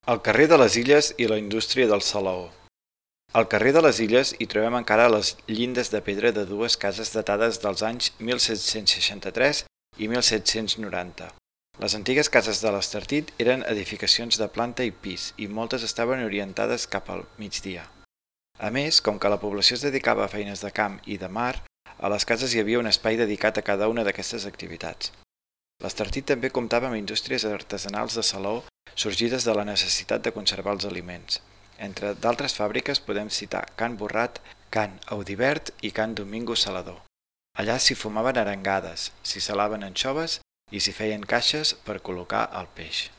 El carrer de les Illes i la indústria del salaó. Al carrer de les Illes hi trobem encara les llindes de pedra de dues cases datades dels anys 1763 i 1790. Les antigues cases de l'Estartit eren edificacions de planta i pis i moltes estaven orientades cap al migdia. A més, com que la població es dedicava a feines de camp i de mar, a les cases hi havia un espai dedicat a cada una d'aquestes activitats. L'Estartit també comptava amb indústries artesanals de salaó sorgides de la necessitat de conservar els aliments. Entre d'altres fàbriques podem citar Can Borrat, Can Audivert i Can Domingo Salador. Allà s'hi fumaven arengades, s'hi salaven anxoves i s'hi feien caixes per col·locar el peix.